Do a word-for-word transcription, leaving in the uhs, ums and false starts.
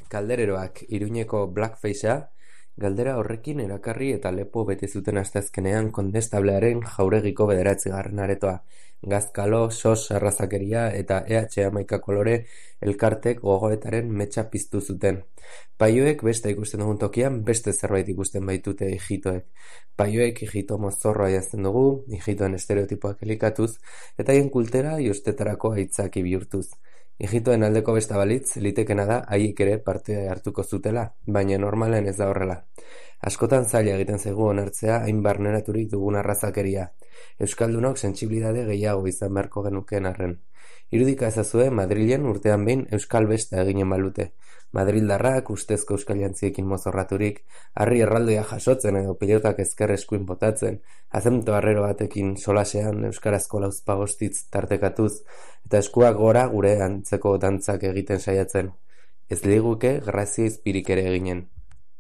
Kaldereroak Iruñeko blackfacea, galdera horrekin erakarri eta lepo bete zuten asteazkenean Kondestablearen jauregiko bederatzigarren aretoa, Gazkalo, sos arrazakeria eta E H hamaika kolore elkartek gogoetaren metxa piztu zuten. Paioek beste ikusten dugun tokian beste zerbait ikusten baitute ijitoek. Paioek ijito mozorroa jazten dugu, ijitoen estereotipoak elikatuz, eta haien kultera jostetarako aitzaki bihurtuz. Ijitoen aldeko besta balitz, litekena da haiek ere parte hartuko zutela, baina normalen ez da horrela. Askotan zaila egiten zaigu onartzea hain barneraturik dugun arrazakeria. Euskaldunok sentsibilidade gehiago izan beharko genukeen arren. Irudika ezazue Madrilen urtean behin euskal besta eginen balute. Madrildarrak ustezko euskal jantziekin mozorraturik, harri erraldoia jasotzen edo pilotak ezker eskuin botatzen, azemto harrero batekin solasean euskarazko lauzpagostitz tartekatuz, eta eskuak gora gure antzeko dantzak egiten saiatzen. Ez liguke grazia izpirik ere eginen.